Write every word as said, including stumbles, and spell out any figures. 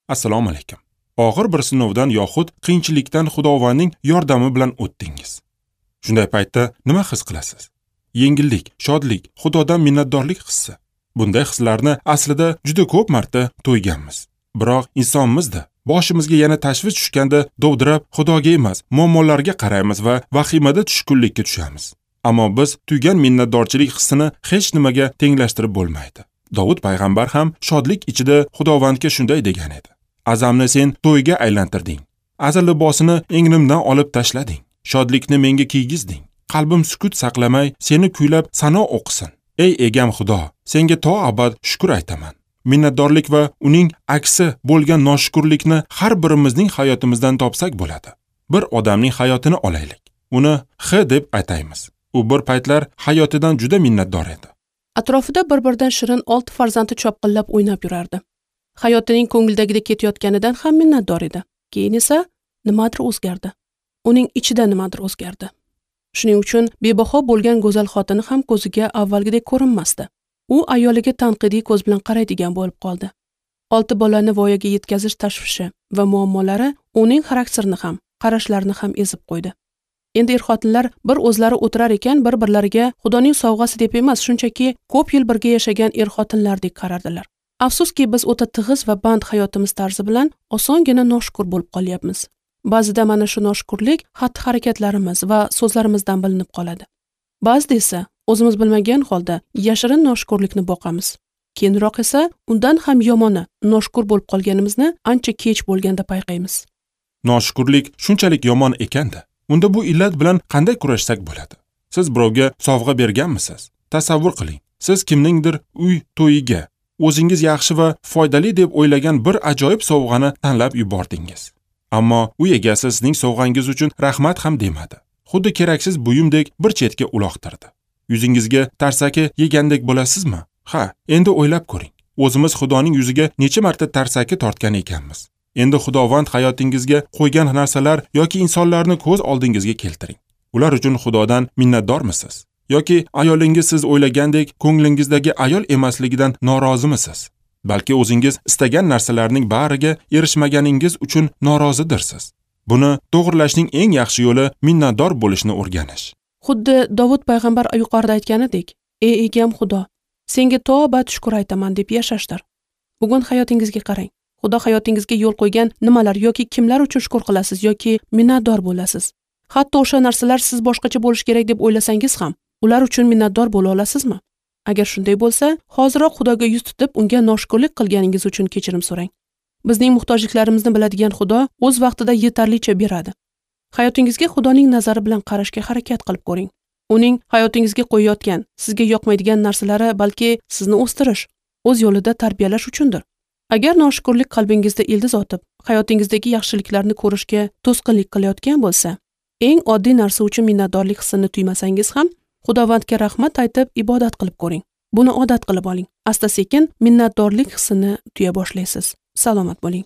Assalomu alaykum. Og'ir bir sinovdan yoxud qiyinchilikdan Xudovandning yordami bilan o'tdingiz. Shunday paytda nima his qilasiz? Yengillik, shodlik, Xudodan minnatdorlik hissi. Bunday hislarni aslida juda ko'p marta to'yganmiz. Biroq insonmizda, boshimizga yana tashvish tushganda dovdirab Xudoga emas, muammolarga qaraymiz va vahimada tushkunlikka tushamiz. Ammo biz tuygan minnatdorchilik hissini hech nimaga tenglashtirib bo'lmaydi. Dovud payg'ambar ham shodlik ichida Xudovandga shunday degan edi: Azamni sen to'yga aylantirding. Aza libosini egnimdan olib tashlading. Shodlikni menga kiygizding. Qalbim sukut saqlamay seni kuylab sano o'qisin. Ey egam Xudo, senga to abad shukr aytaman. Minnatdorlik va uning aksi bo'lgan noshukrlikni har birimizning hayotimizdan topsak bo'ladi. Bir odamning hayotini olaylik. Uni X deb ataymiz. U bir paytlar hayotidan juda minnatdor edi. Atrofida bir-biridan shirin olti farzandi chopqillab o'ynab yurardi. Hayotining ko'ngildagidek ketayotganidan ham minnatdor edi. Keyin esa nimadir o'zgardi. Uning ichida nimadir o'zgardi. Shuning uchun bebaho bo'lgan go'zal xotini ham ko'ziga avvalgidek ko'rinmasdi. U ayoliga tanqidiy ko'z bilan qaraydigan bo'lib qoldi. Olti bolani voyaga yetkazish tashvishi va muammolari uning xarakterini ham, qarashlarini ham ezib qo'ydi. Endi er-xotinlar bir o'zlari o'tirar ekan, bir-birlariga Xudoning sovg'asi deb emas, shunchaki ko'p yil birga yashagan er-xotinlardek qarardilar. Afsuski, biz o'ta tig'iz va band hayotimiz tarzi bilan osongina noshukur bo'lib qolyapmiz. Ba'zida mana shu noshukurlik xatti-harakatlarimiz va so'zlarimizdan bilinib qoladi. Ba'zida esa o'zimiz bilmagan holda yashirin noshukurlikni boqamiz. Keyinroq esa undan ham yomoni noshukur bo'lib qolganimizni ancha kech bo'lganda payqaymiz. Noshukurlik shunchalik yomon ekanda, unda bu illat bilan qanday kurashsak bo'ladi? Siz birovga sovg'a berganmisiz? Tasavvur qiling, siz kimningdir uy to'yiga o'zingiz yaxshi va foydali deb o'ylagan bir ajoyib sovg'ani tanlab yubordingiz. Ammo uy egasi sizning sovg'angiz uchun rahmat ham demadi. Xuddi keraksiz buyumdek bir chetga uloqtirdi. Yuzingizga tarsaki yegandek bo'lasizmi? Ha, endi o'ylab ko'ring. O'zimiz Xudoning yuziga necha marta tarsaki tortgan ekanmiz. Endi Xudovand hayotingizga qo'ygan narsalar yoki insonlarni ko'z oldingizga keltiring. Ular uchun Xudodan minnatdormisiz? Yoki ayolingiz siz o'ylagandek ko'nglingizdagi ayol emasligidan norozimisiz? Balki o'zingiz istagan narsalarning bariga erishmaganingiz uchun norozidirsiz. Buni to'g'rilashning eng yaxshi yo'li minnatdor bo'lishni o'rganish. Xuddi Dovud payg'ambar yuqorida aytganidek, ey egam Xudo, senga to abad shukr aytaman deb yashashdir. Bugun hayotingizga qarang. Xudo hayotingizga yo'l qo'ygan nimalar yoki kimlar uchun shukr qilasiz yoki minnatdor bo'lasiz? Hatto o'sha narsalar siz boshqacha bo'lish kerak deb o'ylasangiz ham, ular uchun minnatdor bo'la olasizmi? Agar shunday bo'lsa, hoziroq Xudoga yuz tutib, unga noshukurlik qilganingiz uchun kechirim so'rang. Bizning muhtojliklarimizni biladigan Xudo o'z vaqtida yetarlicha beradi. Hayotingizga Xudoning nazari bilan qarashga harakat qilib ko'ring. Uning hayotingizga qo'yayotgan, sizga yoqmaydigan narsalari balki sizni o'stirish, o'z yo'lida tarbiyalash uchundir. Agar noshukurlik qalbingizda ildiz otib, hayotingizdagi yaxshiliklarni ko'rishga to'sqinlik qilayotgan bo'lsa, eng oddiy narsa uchun minnatdorlik hissini tuymasangiz ham, Xudovandga rahmat aytib ibodat qilib ko'ring. Buni odat qilib oling. Asta-sekin minnatdorlik hissini tuya boshlaysiz. Salomat bo'ling.